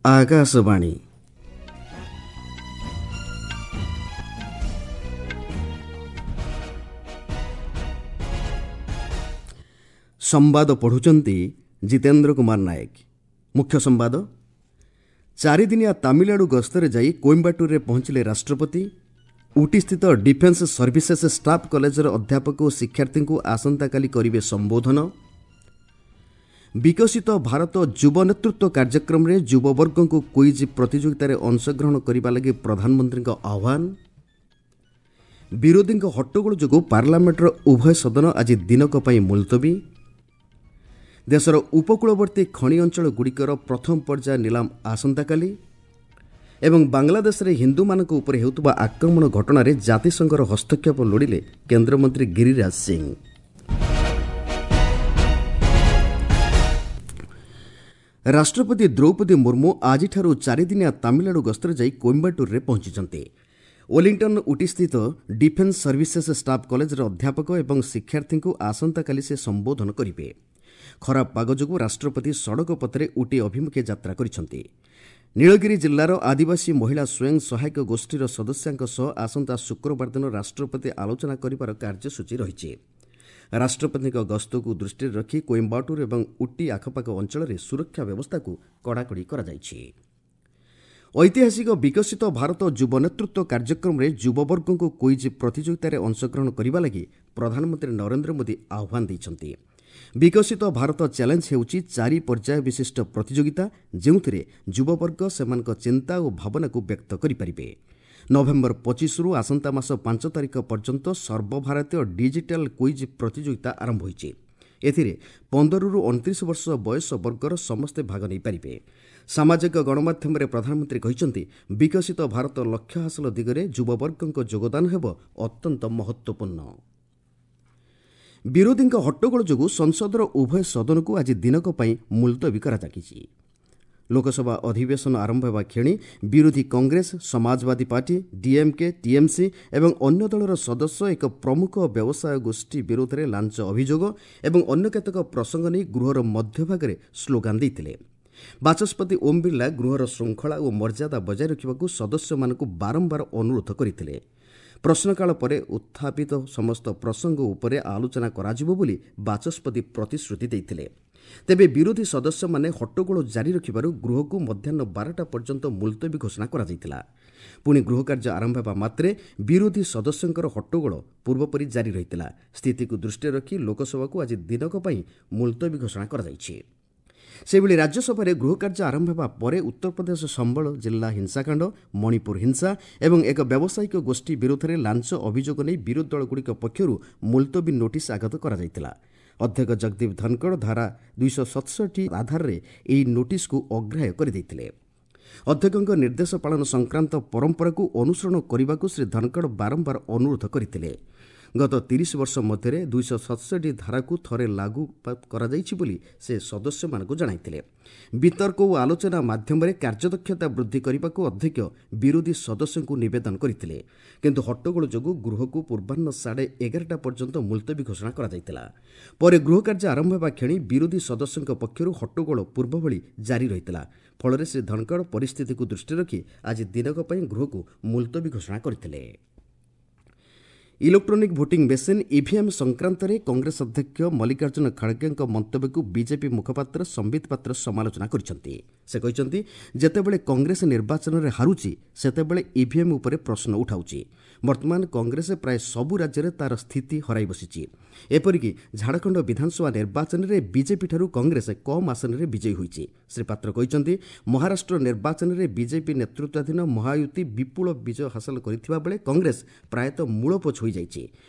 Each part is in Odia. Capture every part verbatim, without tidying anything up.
ଆକାଶବାଣୀ। ସମ୍ବାଦ ପଢ଼ୁଛନ୍ତି ଜିତେନ୍ଦ୍ର କୁମାର ନାୟକ। ମୁଖ୍ୟ ସମ୍ବାଦ। ଚାରିଦିନିଆ ତାମିଲନାଡୁ ଗସ୍ତରେ ଯାଇ କୋଇମ୍ବାଟୁରରେ ପହଞ୍ଚିଲେ ରାଷ୍ଟ୍ରପତି। ଉଟିସ୍ଥିତ ଡିଫେନ୍ସ ସର୍ଭିସେସ୍ ଷ୍ଟାଫ୍ କଲେଜର ଅଧ୍ୟାପକ ଓ ଶିକ୍ଷାର୍ଥୀଙ୍କୁ ଆସନ୍ତାକାଲି କରିବେ ସମ୍ବୋଧନ। ବିକଶିତ ଭାରତ ଯୁବ ନେତୃତ୍ୱ କାର୍ଯ୍ୟକ୍ରମରେ ଯୁବବର୍ଗଙ୍କୁ କୁଇଜ୍ ପ୍ରତିଯୋଗିତାରେ ଅଂଶଗ୍ରହଣ କରିବା ଲାଗି ପ୍ରଧାନମନ୍ତ୍ରୀଙ୍କ ଆହ୍ୱାନ। ବିରୋଧୀଙ୍କ ହଟ୍ଟଗୋଳ ଯୋଗୁଁ ପାର୍ଲାମେଣ୍ଟର ଉଭୟ ସଦନ ଆଜି ଦିନକ ପାଇଁ ମୁଲତବୀ। ଦେଶର ଉପକୂଳବର୍ତ୍ତୀ ଖଣି ଅଞ୍ଚଳଗୁଡ଼ିକର ପ୍ରଥମ ପର୍ଯ୍ୟାୟ ନିଲାମ ଆସନ୍ତାକାଲି। ଏବଂ ବାଂଲାଦେଶରେ ହିନ୍ଦୁମାନଙ୍କ ଉପରେ ହେଉଥିବା ଆକ୍ରମଣ ଘଟଣାରେ ଜାତିସଂଘର ହସ୍ତକ୍ଷେପ ଲୋଡ଼ିଲେ କେନ୍ଦ୍ରମନ୍ତ୍ରୀ ଗିରିରାଜ ସିଂ। ରାଷ୍ଟ୍ରପତି ଦ୍ରୌପଦୀ ମୁର୍ମୁ ଆଜିଠାରୁ ଚାରିଦିନିଆ ତାମିଲନାଡୁ ଗସ୍ତରେ ଯାଇ କୋଇମ୍ବାଟୁରରେ ପହଞ୍ଚିଛନ୍ତି। ୱେଲିଂଟନ୍ ଉଟିସ୍ଥିତ ଡିଫେନ୍ସ ସର୍ଭିସେସ୍ ଷ୍ଟାଫ୍ କଲେଜର ଅଧ୍ୟାପକ ଏବଂ ଶିକ୍ଷାର୍ଥୀଙ୍କୁ ଆସନ୍ତାକାଲି ସେ ସମ୍ବୋଧନ କରିବେ। ଖରାପ ପାଗ ଯୋଗୁଁ ରାଷ୍ଟ୍ରପତି ସଡ଼କ ପଥରେ ଉଟି ଅଭିମୁଖେ ଯାତ୍ରା କରିଛନ୍ତି। ନୀଳଗିରି ଜିଲ୍ଲାର ଆଦିବାସୀ ମହିଳା ସ୍ୱୟଂ ସହାୟକ ଗୋଷ୍ଠୀର ସଦସ୍ୟାଙ୍କ ସହ ଆସନ୍ତା ଶୁକ୍ରବାର ଦିନ ରାଷ୍ଟ୍ରପତି ଆଲୋଚନା କରିବାର କାର୍ଯ୍ୟସୂଚୀ ରହିଛି। ରାଷ୍ଟ୍ରପତିଙ୍କ ଗସ୍ତକୁ ଦୃଷ୍ଟିରେ ରଖି କୋଇମ୍ବାଟୁର ଏବଂ ଉଟି ଆଖପାଖ ଅଞ୍ଚଳରେ ସୁରକ୍ଷା ବ୍ୟବସ୍ଥାକୁ କଡ଼ାକଡ଼ି କରାଯାଇଛି। ଐତିହାସିକ ବିକଶିତ ଭାରତ ଯୁବ ନେତୃତ୍ୱ କାର୍ଯ୍ୟକ୍ରମରେ ଯୁବବର୍ଗଙ୍କୁ କୁଇଜ୍ ପ୍ରତିଯୋଗିତାରେ ଅଂଶଗ୍ରହଣ କରିବା ଲାଗି ପ୍ରଧାନମନ୍ତ୍ରୀ ନରେନ୍ଦ୍ର ମୋଦି ଆହ୍ୱାନ ଦେଇଛନ୍ତି। ବିକଶିତ ଭାରତ ଚ୍ୟାଲେଞ୍ଜ ହେଉଛି ଚାରି ପର୍ଯ୍ୟାୟ ବିଶିଷ୍ଟ ପ୍ରତିଯୋଗିତା, ଯେଉଁଥିରେ ଯୁବବର୍ଗ ସେମାନଙ୍କ ଚିନ୍ତା ଓ ଭାବନାକୁ ବ୍ୟକ୍ତ କରିପାରିବେ। ନଭେମ୍ବର ପଚିଶରୁ ଆସନ୍ତା ମାସ ପାଞ୍ଚ ତାରିଖ ପର୍ଯ୍ୟନ୍ତ ସର୍ବଭାରତୀୟ ଡିଜିଟାଲ କୁଇଜ୍ ପ୍ରତିଯୋଗିତା ଆରମ୍ଭ ହୋଇଛି। ଏଥିରେ ପନ୍ଦରରୁ ଅଣତିରିଶ ବର୍ଷ ବୟସ ବର୍ଗର ସମସ୍ତେ ଭାଗ ନେଇପାରିବେ। ସାମାଜିକ ଗଣମାଧ୍ୟମରେ ପ୍ରଧାନମନ୍ତ୍ରୀ କହିଛନ୍ତି, ବିକଶିତ ଭାରତ ଲକ୍ଷ୍ୟ ହାସଲ ଦିଗରେ ଯୁବବର୍ଗଙ୍କ ଯୋଗଦାନ ହେବ ଅତ୍ୟନ୍ତ ମହତ୍ତ୍ୱପୂର୍ଣ୍ଣ। ବିରୋଧୀଙ୍କ ହଟ୍ଟଗୋଳ ଯୋଗୁଁ ସଂସଦର ଉଭୟ ସଦନକୁ ଆଜି ଦିନକ ପାଇଁ ମୁଲତବୀ କରାଯାଇଛି। ଲୋକସଭା ଅଧିବେଶନ ଆରମ୍ଭ ହେବା କ୍ଷଣି ବିରୋଧୀ କଂଗ୍ରେସ, ସମାଜବାଦୀ ପାର୍ଟି, ଡିଏମ୍କେ, ଟିଏମ୍ସି ଏବଂ ଅନ୍ୟ ଦଳର ସଦସ୍ୟ ଏକ ପ୍ରମୁଖ ବ୍ୟବସାୟ ଗୋଷ୍ଠୀ ବିରୋଧରେ ଲାଞ୍ଚ ଅଭିଯୋଗ ଏବଂ ଅନ୍ୟ କେତେକ ପ୍ରସଙ୍ଗ ନେଇ ଗୃହର ମଧ୍ୟଭାଗରେ ସ୍ଲୋଗାନ ଦେଇଥିଲେ। ବାଚସ୍ପତି ଓମ୍ ବିର୍ଲା ଗୃହର ଶୃଙ୍ଖଳା ଓ ମର୍ଯ୍ୟାଦା ବଜାୟ ରଖିବାକୁ ସଦସ୍ୟମାନଙ୍କୁ ବାରମ୍ବାର ଅନୁରୋଧ କରିଥିଲେ। ପ୍ରଶ୍ନକାଳ ପରେ ଉତ୍ଥାପିତ ସମସ୍ତ ପ୍ରସଙ୍ଗ ଉପରେ ଆଲୋଚନା କରାଯିବ ବୋଲି ବାଚସ୍ପତି ପ୍ରତିଶ୍ରୁତି ଦେଇଥିଲେ। ତେବେ ବିରୋଧୀ ସଦସ୍ୟମାନେ ହଟ୍ଟଗୋଳ ଜାରି ରଖିବାରୁ ଗୃହକୁ ମଧ୍ୟାହ୍ନ ବାରଟା ପର୍ଯ୍ୟନ୍ତ ମୁଲତବୀ ଘୋଷଣା କରାଯାଇଥିଲା। ପୁଣି ଗୃହ କାର୍ଯ୍ୟ ଆରମ୍ଭ ହେବା ମାତ୍ରେ ବିରୋଧୀ ସଦସ୍ୟଙ୍କର ହଟ୍ଟଗୋଳ ପୂର୍ବପରି ଜାରି ରହିଥିଲା। ସ୍ଥିତିକୁ ଦୃଷ୍ଟିରେ ରଖି ଲୋକସଭାକୁ ଆଜି ଦିନକ ପାଇଁ ମୁଲତବୀ ଘୋଷଣା କରାଯାଇଛି। ସେହିଭଳି ରାଜ୍ୟସଭାରେ ଗୃହକାର୍ଯ୍ୟ ଆରମ୍ଭ ହେବା ପରେ ଉତ୍ତରପ୍ରଦେଶ ସମ୍ବଳ ଜିଲ୍ଲା ହିଂସାକାଣ୍ଡ, ମଣିପୁର ହିଂସା ଏବଂ ଏକ ବ୍ୟବସାୟିକ ଗୋଷ୍ଠୀ ବିରୋଧରେ ଲାଞ୍ଚ ଅଭିଯୋଗ ନେଇ ବିରୋଧୀ ଦଳଗୁଡ଼ିକ ପକ୍ଷରୁ ମୁଲତବୀ ନୋଟିସ୍ ଆଗତ କରାଯାଇଥିଲା। ଅଧ୍ୟକ୍ଷ ଜଗଦୀପ ଧନଖଡ଼ ଧାରା ଦୁଇଶହ ସତଷଠି ଆଧାରରେ ଏହି ନୋଟିସ୍କୁ ଅଗ୍ରାହ୍ୟ କରିଦେଇଥିଲେ। ଅଧ୍ୟକ୍ଷଙ୍କ ନିର୍ଦ୍ଦେଶ ପାଳନ ସଂକ୍ରାନ୍ତ ପରମ୍ପରାକୁ ଅନୁସରଣ କରିବାକୁ ଶ୍ରୀ ଧନଖଡ଼ ବାରମ୍ବାର ଅନୁରୋଧ କରିଥିଲେ। ଗତ ତିରିଶ ବର୍ଷ ମଧ୍ୟରେ ଦୁଇଶହ ସତଷଠି ଧାରାକୁ ଥରେ ଲାଗୁ କରାଯାଇଛି ବୋଲି ସେ ସଦସ୍ୟମାନଙ୍କୁ ଜଣାଇଥିଲେ। ବିତର୍କ ଓ ଆଲୋଚନା ମାଧ୍ୟମରେ କାର୍ଯ୍ୟଦକ୍ଷତା ବୃଦ୍ଧି କରିବାକୁ ଅଧ୍ୟକ୍ଷ ବିରୋଧୀ ସଦସ୍ୟଙ୍କୁ ନିବେଦନ କରିଥିଲେ। କିନ୍ତୁ ହଟ୍ଟଗୋଳ ଯୋଗୁଁ ଗୃହକୁ ପୂର୍ବାହ୍ନ ସାଢ଼େ ଏଗାରଟା ପର୍ଯ୍ୟନ୍ତ ମୁଲତବୀ ଘୋଷଣା କରାଯାଇଥିଲା। ପରେ ଗୃହ କାର୍ଯ୍ୟ ଆରମ୍ଭ ହେବା କ୍ଷଣି ବିରୋଧୀ ସଦସ୍ୟଙ୍କ ପକ୍ଷରୁ ହଟ୍ଟଗୋଳ ପୂର୍ବଭଳି ଜାରି ରହିଥିଲା। ଫଳରେ ଶ୍ରୀ ଧନଖଡ଼ ପରିସ୍ଥିତିକୁ ଦୃଷ୍ଟିରେ ରଖି ଆଜି ଦିନକ ପାଇଁ ଗୃହକୁ ମୁଲତବୀ ଘୋଷଣା କରିଥିଲେ। ଇଲେକ୍ଟ୍ରୋନିକ୍ ଭୋଟିଂ ମେସିନ୍ ଇଭିଏମ୍ ସଂକ୍ରାନ୍ତରେ କଂଗ୍ରେସ ଅଧ୍ୟକ୍ଷ ମଲ୍ଲିକାର୍ଜୁନ ଖଡ଼ଗେଙ୍କ ମନ୍ତବ୍ୟକୁ ବିଜେପି ମୁଖପାତ୍ର ସମ୍ବିତ ପାତ୍ର ସମାଲୋଚନା କରିଛନ୍ତି। ସେ କହିଛନ୍ତି, ଯେତେବେଳେ କଂଗ୍ରେସ ନିର୍ବାଚନରେ ହାରୁଛି ସେତେବେଳେ ଇଭିଏମ୍ ଉପରେ ପ୍ରଶ୍ନ ଉଠାଉଛି। ବର୍ତ୍ତମାନ କଂଗ୍ରେସ ପ୍ରାୟ ସବୁ ରାଜ୍ୟରେ ତା'ର ସ୍ଥିତି ହରାଇ ବସିଛି। ଏପରିକି ଝାଡ଼ଖଣ୍ଡ ବିଧାନସଭା ନିର୍ବାଚନରେ ବିଜେପିଠାରୁ କଂଗ୍ରେସ କମ୍ ଆସନରେ ବିଜୟୀ ହୋଇଛି। ଶ୍ରୀ ପାତ୍ର କହିଛନ୍ତି, ମହାରାଷ୍ଟ୍ର ନିର୍ବାଚନରେ ବିଜେପି ନେତୃତ୍ୱାଧୀନ ମହାୟୁତି ବିପୁଳ ବିଜୟ ହାସଲ କରିଥିବା ବେଳେ କଂଗ୍ରେସ ପ୍ରାୟତଃ ମୂଳପୋଛ ହୋଇଯାଇଛି।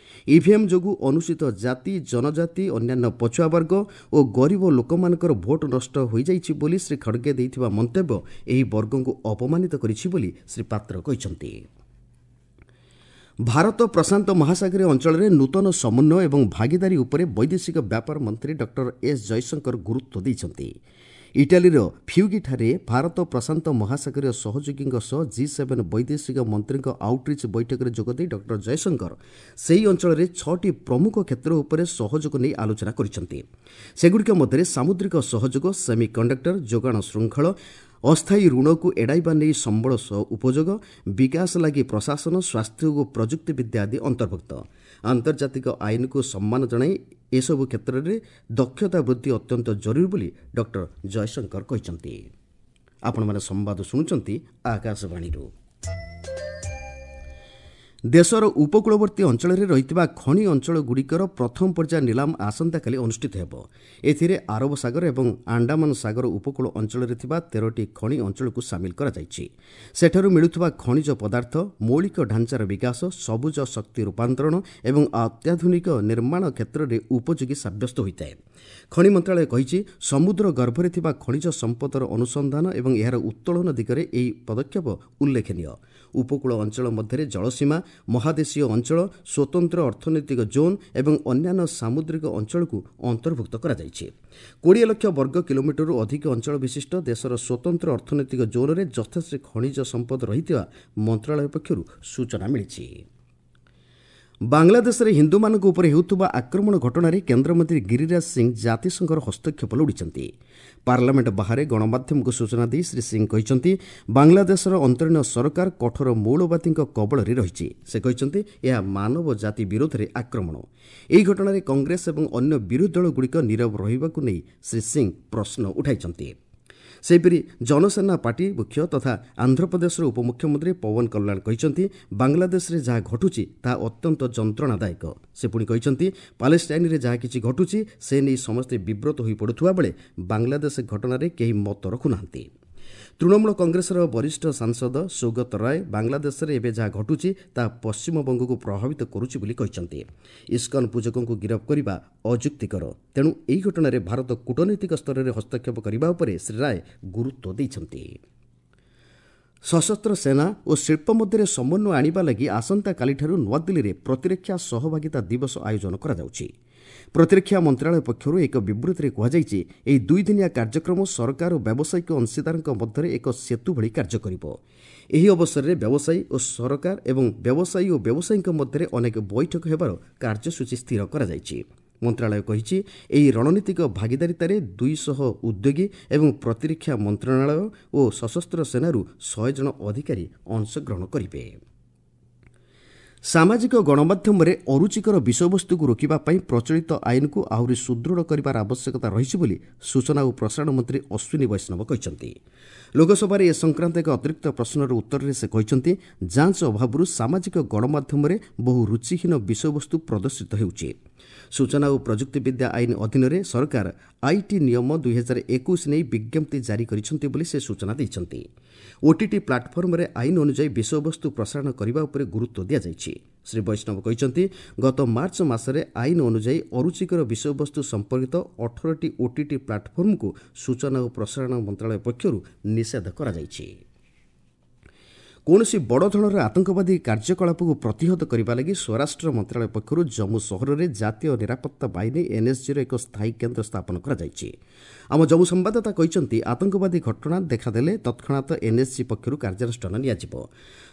ଇଭିଏମ୍ ଯୋଗୁଁ ଅନୁସୂଚିତ ଜାତି, ଜନଜାତି, ଅନ୍ୟାନ୍ୟ ପଛୁଆ ବର୍ଗ ଓ ଗରିବ ଲୋକମାନଙ୍କର ଭୋଟ ନଷ୍ଟ ହୋଇଯାଇଛି ବୋଲି ଶ୍ରୀ ଖଡ଼ଗେ ଦେଇଥିବା ମନ୍ତବ୍ୟ ଏହି ବର୍ଗଙ୍କୁ ଅପମାନିତ କରିଛି ବୋଲି ଶ୍ରୀ ପାତ୍ର କହିଛନ୍ତି। ଭାରତ ପ୍ରଶାନ୍ତ ମହାସାଗରୀୟ ଅଞ୍ଚଳରେ ନୂତନ ସମନ୍ୱୟ ଏବଂ ଭାଗିଦାରୀ ଉପରେ ବୈଦେଶିକ ବ୍ୟାପାର ମନ୍ତ୍ରୀ ଡକ୍ଟର ଏସ୍ ଜୟଶଙ୍କର ଗୁରୁତ୍ୱ ଦେଇଛନ୍ତି। ଇଟାଲୀର ଫ୍ୟୁଗିଠାରେ ଭାରତ ପ୍ରଶାନ୍ତ ମହାସାଗରୀୟ ସହଯୋଗୀଙ୍କ ସହ ଜି ସେଭେନ୍ ବୈଦେଶିକ ମନ୍ତ୍ରୀଙ୍କ ଆଉଟରିଚ୍ ବୈଠକରେ ଯୋଗଦେଇ ଡକ୍ଟର ଜୟଶଙ୍କର ସେହି ଅଞ୍ଚଳରେ ଛଅଟି ପ୍ରମୁଖ କ୍ଷେତ୍ର ଉପରେ ସହଯୋଗ ନେଇ ଆଲୋଚନା କରିଛନ୍ତି। ସେଗୁଡ଼ିକ ମଧ୍ୟରେ ସାମୁଦ୍ରିକ ସହଯୋଗ, ସେମି କଣ୍ଡକ୍ଟର, ଯୋଗାଣ ଶୃଙ୍ଖଳ, ଅସ୍ଥାୟୀ ଋଣକୁ ଏଡ଼ାଇବା ନେଇ ସମ୍ବଳ ଉପଯୋଗ, ବିକାଶ ଲାଗି ପ୍ରଶାସନ, ସ୍ୱାସ୍ଥ୍ୟ ଓ ପ୍ରଯୁକ୍ତିବିଦ୍ୟା ଆଦି ଅନ୍ତର୍ଭୁକ୍ତ। ଆନ୍ତର୍ଜାତିକ ଆଇନକୁ ସମ୍ମାନ ଜଣାଇ ଏସବୁ କ୍ଷେତ୍ରରେ ଦକ୍ଷତା ବୃଦ୍ଧି ଅତ୍ୟନ୍ତ ଜରୁରୀ ବୋଲି ଡକ୍ଟର ଜୟଶଙ୍କର କହିଛନ୍ତି। ଆପଣମାନେ ସମ୍ବାଦ ଶୁଣୁଛନ୍ତି ଆକାଶବାଣୀରୁ। ଦେଶର ଉପକୂଳବର୍ତ୍ତୀ ଅଞ୍ଚଳରେ ରହିଥିବା ଖଣି ଅଞ୍ଚଳଗୁଡ଼ିକର ପ୍ରଥମ ପର୍ଯ୍ୟାୟ ନିଲାମ ଆସନ୍ତାକାଲି ଅନୁଷ୍ଠିତ ହେବ। ଏଥିରେ ଆରବ ସାଗର ଏବଂ ଆଣ୍ଡାମାନ ସାଗର ଉପକୂଳ ଅଞ୍ଚଳରେ ଥିବା ତେରଟି ଖଣି ଅଞ୍ଚଳକୁ ସାମିଲ କରାଯାଇଛି। ସେଠାରୁ ମିଳୁଥିବା ଖଣିଜ ପଦାର୍ଥ, ମୌଳିକ ଢାଞ୍ଚାର ବିକାଶ, ସବୁଜ ଶକ୍ତି ରୂପାନ୍ତରଣ ଏବଂ ଅତ୍ୟାଧୁନିକ ନିର୍ମାଣ କ୍ଷେତ୍ରରେ ଉପଯୋଗୀ ସାବ୍ୟସ୍ତ ହୋଇଥାଏ। ଖଣି ମନ୍ତ୍ରଣାଳୟ କହିଛି, ସମୁଦ୍ର ଗର୍ଭରେ ଥିବା ଖଣିଜ ସମ୍ପଦର ଅନୁସନ୍ଧାନ ଏବଂ ଏହାର ଉତ୍ତୋଳନ ଦିଗରେ ଏହି ପଦକ୍ଷେପ ଉଲ୍ଲେଖନୀୟ। ଉପକୂଳ ଅଞ୍ଚଳ ମଧ୍ୟରେ ଜଳସୀମା, ମହାଦେଶୀୟ ଅଞ୍ଚଳ, ସ୍ୱତନ୍ତ୍ର ଅର୍ଥନୈତିକ ଜୋନ୍ ଏବଂ ଅନ୍ୟାନ୍ୟ ସାମୁଦ୍ରିକ ଅଞ୍ଚଳକୁ ଅନ୍ତର୍ଭୁକ୍ତ କରାଯାଇଛି। କୋଡ଼ିଏ ଲକ୍ଷ ବର୍ଗ କିଲୋମିଟରରୁ ଅଧିକ ଅଞ୍ଚଳ ବିଶିଷ୍ଟ ଦେଶର ସ୍ୱତନ୍ତ୍ର ଅର୍ଥନୈତିକ ଜୋନ୍ରେ ଯଥେଷ୍ଟ ଖଣିଜ ସମ୍ପଦ ରହିଥିବା ମନ୍ତ୍ରଣାଳୟ ପକ୍ଷରୁ ସୂଚନା ମିଳିଛି। ବାଂଲାଦେଶରେ ହିନ୍ଦୁମାନଙ୍କ ଉପରେ ହେଉଥିବା ଆକ୍ରମଣ ଘଟଣାରେ କେନ୍ଦ୍ରମନ୍ତ୍ରୀ ଗିରିରାଜ ସିଂ ଜାତିସଂଘର ହସ୍ତକ୍ଷେପ ଲୋଡ଼ିଛନ୍ତି। ପାର୍ଲାମେଣ୍ଟ ବାହାରେ ଗଣମାଧ୍ୟମକୁ ସୂଚନା ଦେଇ ଶ୍ରୀ ସିଂ କହିଛନ୍ତି, ବାଂଲାଦେଶର ଅନ୍ତରୀଣ ସରକାର କଠୋର ମୌଳବାଦୀଙ୍କ କବଳରେ ରହିଛି। ସେ କହିଛନ୍ତି, ଏହା ମାନବ ଜାତି ବିରୋଧରେ ଆକ୍ରମଣ। ଏହି ଘଟଣାରେ କଂଗ୍ରେସ ଏବଂ ଅନ୍ୟ ବିରୋଧୀ ଦଳଗୁଡ଼ିକ ନୀରବ ରହିବାକୁ ନେଇ ଶ୍ରୀ ସିଂ ପ୍ରଶ୍ନ ଉଠାଇଛନ୍ତି। ସେହିପରି ଜନସେନା ପାର୍ଟି ମୁଖ୍ୟ ତଥା ଆନ୍ଧ୍ରପ୍ରଦେଶର ଉପମୁଖ୍ୟମନ୍ତ୍ରୀ ପୱନ କଲ୍ୟାଣ କହିଛନ୍ତି, ବାଂଲାଦେଶରେ ଯାହା ଘଟୁଛି ତାହା ଅତ୍ୟନ୍ତ ଯନ୍ତ୍ରଣାଦାୟକ। ସେ ପୁଣି କହିଛନ୍ତି, ପାଲେଷ୍ଟାଇନ୍ରେ ଯାହା କିଛି ଘଟୁଛି ସେ ନେଇ ସମସ୍ତେ ବିବ୍ରତ ହୋଇପଡ଼ୁଥିବା ବେଳେ ବାଂଲାଦେଶ ଘଟଣାରେ କେହି ମତ ରଖୁନାହାନ୍ତି। ତୃଣମୂଳ କଂଗ୍ରେସର ବରିଷ୍ଠ ସାଂସଦ ସୌଗତ ରାୟ ବାଂଲାଦେଶରେ ଏବେ ଯାହା ଘଟୁଛି ତାହା ପଶ୍ଚିମବଙ୍ଗକୁ ପ୍ରଭାବିତ କରୁଛି ବୋଲି କହିଛନ୍ତି। ଇସ୍କନ ପୂଜକଙ୍କୁ ଗିରଫ କରିବା ଅଯୁକ୍ତିକର, ତେଣୁ ଏହି ଘଟଣାରେ ଭାରତ କୂଟନୈତିକ ସ୍ତରରେ ହସ୍ତକ୍ଷେପ କରିବା ଉପରେ ଶ୍ରୀ ରାୟ ଗୁରୁତ୍ୱ ଦେଇଛନ୍ତି। ସଶସ୍ତ୍ର ସେନା ଓ ଶିଳ୍ପ ମଧ୍ୟରେ ସମନ୍ୱୟ ଆଣିବା ଲାଗି ଆସନ୍ତାକାଲିଠାରୁ ନୂଆଦିଲ୍ଲୀରେ ପ୍ରତିରକ୍ଷା ସହଭାଗିତା ଦିବସ ଆୟୋଜନ କରାଯାଉଛି। ପ୍ରତିରକ୍ଷା ମନ୍ତ୍ରଣାଳୟ ପକ୍ଷରୁ ଏକ ବିବୃତିରେ କୁହାଯାଇଛି, ଏହି ଦୁଇଦିନିଆ କାର୍ଯ୍ୟକ୍ରମ ସରକାର ଓ ବ୍ୟବସାୟିକ ଅଂଶୀଦାରଙ୍କ ମଧ୍ୟରେ ଏକ ସେତୁ ଭଳି କାର୍ଯ୍ୟ କରିବ। ଏହି ଅବସରରେ ବ୍ୟବସାୟୀ ଓ ସରକାର ଏବଂ ବ୍ୟବସାୟୀ ଓ ବ୍ୟବସାୟୀଙ୍କ ମଧ୍ୟରେ ଅନେକ ବୈଠକ ହେବାର କାର୍ଯ୍ୟସୂଚୀ ସ୍ଥିର କରାଯାଇଛି। ମନ୍ତ୍ରଣାଳୟ କହିଛି, ଏହି ରଣନୀତିକ ଭାଗିଦାରିତାରେ ଦୁଇଶହ ଉଦ୍ୟୋଗୀ ଏବଂ ପ୍ରତିରକ୍ଷା ମନ୍ତ୍ରଣାଳୟ ଓ ସଶସ୍ତ୍ର ସେନାରୁ ଶହେ ଜଣ ଅଧିକାରୀ ଅଂଶଗ୍ରହଣ କରିବେ। ସାମାଜିକ ଗଣମାଧ୍ୟମରେ ଅରୁଚିକର ବିଷୟବସ୍ତୁକୁ ରୋକିବା ପାଇଁ ପ୍ରଚଳିତ ଆଇନକୁ ଆହୁରି ସୁଦୃଢ଼ କରିବାର ଆବଶ୍ୟକତା ରହିଛି ବୋଲି ସୂଚନା ଓ ପ୍ରସାରଣ ମନ୍ତ୍ରୀ ଅଶ୍ୱିନୀ ବୈଷ୍ଣବ କହିଛନ୍ତି। ଲୋକସଭାରେ ଏ ସଂକ୍ରାନ୍ତ ଏକ ଅତିରିକ୍ତ ପ୍ରଶ୍ନର ଉତ୍ତରରେ ସେ କହିଛନ୍ତି, ଯାଞ୍ଚ ଅଭାବରୁ ସାମାଜିକ ଗଣମାଧ୍ୟମରେ ବହୁ ରୁଚିହୀନ ବିଷୟବସ୍ତୁ ପ୍ରଦର୍ଶିତ ହେଉଛି। ସୂଚନା ଓ ପ୍ରଯୁକ୍ତିବିଦ୍ୟା ଆଇନ ଅଧୀନରେ ସରକାର IT ନିୟମ ଦୁଇହଜାର ଏକୋଇଶ ନେଇ ବିଜ୍ଞପ୍ତି ଜାରି କରିଛନ୍ତି ବୋଲି ସେ ସୂଚନା ଦେଇଛନ୍ତି। ଓଟିଟି ପ୍ଲାଟଫର୍ମରେ ଆଇନ ଅନୁଯାୟୀ ବିଷୟବସ୍ତୁ ପ୍ରସାରଣ କରିବା ଉପରେ ଗୁରୁତ୍ୱ ଦିଆଯାଇଛି। ଶ୍ରୀ ବୈଷ୍ଣବ କହିଛନ୍ତି, ଗତ ମାର୍ଚ୍ଚ ମାସରେ ଆଇନ ଅନୁଯାୟୀ ଅରୁଚିକର ବିଷୟବସ୍ତୁ ସମ୍ପର୍କିତ ଅଠରଟି ଓଟିଟି ପ୍ଲାଟଫର୍ମକୁ ସୂଚନା ଓ ପ୍ରସାରଣ ମନ୍ତ୍ରଣାଳୟ ପକ୍ଷରୁ ନିଷେଧ କରାଯାଇଛି। କୌଣସି ବଡ଼ ଧରଣର ଆତଙ୍କବାଦୀ କାର୍ଯ୍ୟକଳାପକୁ ପ୍ରତିହତ କରିବା ଲାଗି ସ୍ୱରାଷ୍ଟ୍ର ମନ୍ତ୍ରଣାଳୟ ପକ୍ଷରୁ ଜମ୍ମୁ ସହରରେ ଜାତୀୟ ନିରାପତ୍ତା ବାହିନୀ ଏନ୍ଏସ୍ଜିର ଏକ ସ୍ଥାୟୀ କେନ୍ଦ୍ର ସ୍ଥାପନ କରାଯାଇଛି। ଆମ ଜମ୍ମୁ ସମ୍ବାଦଦାତା କହିଛନ୍ତି, ଆତଙ୍କବାଦୀ ଘଟଣା ଦେଖାଦେଲେ ତତ୍କ୍ଷଣାତ୍ ଏନ୍ଏସ୍ଜି ପକ୍ଷରୁ କାର୍ଯ୍ୟାନୁଷ୍ଠାନ ନିଆଯିବ।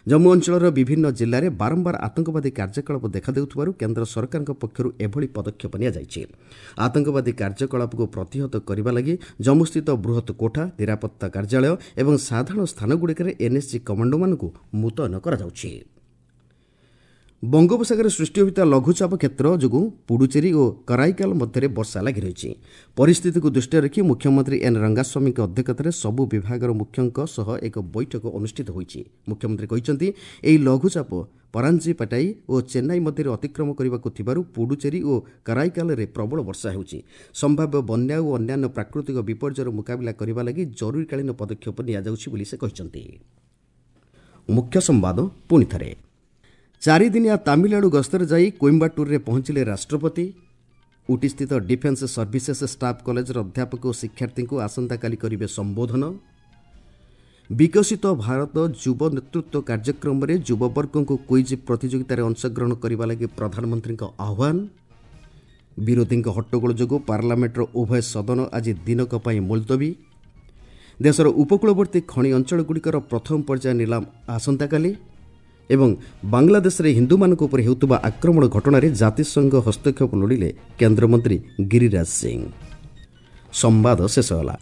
ଜମ୍ମୁ ଅଞ୍ଚଳର ବିଭିନ୍ନ ଜିଲ୍ଲାରେ ବାରମ୍ବାର ଆତଙ୍କବାଦୀ କାର୍ଯ୍ୟକଳାପ ଦେଖାଦେଉଥିବାରୁ କେନ୍ଦ୍ର ସରକାରଙ୍କ ପକ୍ଷରୁ ଏଭଳି ପଦକ୍ଷେପ ନିଆଯାଇଛି। ଆତଙ୍କବାଦୀ କାର୍ଯ୍ୟକଳାପକୁ ପ୍ରତିହତ କରିବା ଲାଗି ଜମ୍ମୁସ୍ଥିତ ବୃହତ୍ କୋଠା, ନିରାପତ୍ତା କାର୍ଯ୍ୟାଳୟ ଏବଂ ସାଧାରଣ ସ୍ଥାନଗୁଡ଼ିକରେ ଏନ୍ଏସ୍ଜି କମାଣ୍ଡୋମାନଙ୍କୁ ମୁତୟନ କରାଯାଉଛି। ବଙ୍ଗୋପସାଗରରେ ସୃଷ୍ଟି ହୋଇଥିବା ଲଘୁଚାପ କ୍ଷେତ୍ର ଯୋଗୁଁ ପୁଡୁଚେରୀ ଓ କରାଇକାଲ ମଧ୍ୟରେ ବର୍ଷା ଲାଗି ରହିଛି। ପରିସ୍ଥିତିକୁ ଦୃଷ୍ଟିରେ ରଖି ମୁଖ୍ୟମନ୍ତ୍ରୀ ଏନ୍ ରଙ୍ଗାସ୍ୱାମୀଙ୍କ ଅଧ୍ୟକ୍ଷତାରେ ସବୁ ବିଭାଗର ମୁଖ୍ୟଙ୍କ ସହ ଏକ ବୈଠକ ଅନୁଷ୍ଠିତ ହୋଇଛି। ମୁଖ୍ୟମନ୍ତ୍ରୀ କହିଛନ୍ତି, ଏହି ଲଘୁଚାପ ପରାଞ୍ଜିପାଟାଇ ଓ ଚେନ୍ନାଇ ମଧ୍ୟରେ ଅତିକ୍ରମ କରିବାକୁ ଥିବାରୁ ପୁଡୁଚେରୀ ଓ କରାଇକାଲରେ ପ୍ରବଳ ବର୍ଷା ହେଉଛି। ସମ୍ଭାବ୍ୟ ବନ୍ୟା ଓ ଅନ୍ୟାନ୍ୟ ପ୍ରାକୃତିକ ବିପର୍ଯ୍ୟୟର ମୁକାବିଲା କରିବା ଲାଗି ଜରୁରୀକାଳୀନ ପଦକ୍ଷେପ ନିଆଯାଉଛି ବୋଲି ସେ କହିଛନ୍ତି। ମୁଖ୍ୟ ସମ୍ବାଦ ପୁଣି ଥରେ। ଚାରିଦିନିଆ ତାମିଲନାଡୁ ଗସ୍ତରେ ଯାଇ କୋଇମ୍ବାଟୁରରେ ପହଞ୍ଚିଲେ ରାଷ୍ଟ୍ରପତି। ଉଟିସ୍ଥିତ ଡିଫେନ୍ସ ସର୍ଭିସେସ୍ ଷ୍ଟାଫ୍ କଲେଜର ଅଧ୍ୟାପକ ଓ ଶିକ୍ଷାର୍ଥୀଙ୍କୁ ଆସନ୍ତାକାଲି କରିବେ ସମ୍ବୋଧନ। ବିକଶିତ ଭାରତ ଯୁବ ନେତୃତ୍ୱ କାର୍ଯ୍ୟକ୍ରମରେ ଯୁବବର୍ଗଙ୍କୁ କୁଇଜ୍ ପ୍ରତିଯୋଗିତାରେ ଅଂଶଗ୍ରହଣ କରିବା ଲାଗି ପ୍ରଧାନମନ୍ତ୍ରୀଙ୍କ ଆହ୍ୱାନ। ବିରୋଧୀଙ୍କ ହଟ୍ଟଗୋଳ ଯୋଗୁଁ ପାର୍ଲାମେଣ୍ଟର ଉଭୟ ସଦନ ଆଜି ଦିନକ ପାଇଁ ମୁଲତବୀ। ଦେଶର ଉପକୂଳବର୍ତ୍ତୀ ଖଣି ଅଞ୍ଚଳଗୁଡ଼ିକର ପ୍ରଥମ ପର୍ଯ୍ୟାୟ ନିଲାମ ଆସନ୍ତାକାଲି। ଏବଂ ବାଂଲାଦେଶରେ ହିନ୍ଦୁମାନଙ୍କ ଉପରେ ହେଉଥିବା ଆକ୍ରମଣ ଘଟଣାରେ ଜାତିସଂଘ ହସ୍ତକ୍ଷେପ ଲୋଡ଼ିଲେ କେନ୍ଦ୍ରମନ୍ତ୍ରୀ ଗିରିରାଜ ସିଂ। ସମ୍ବାଦ ଶେଷ ହେଲା।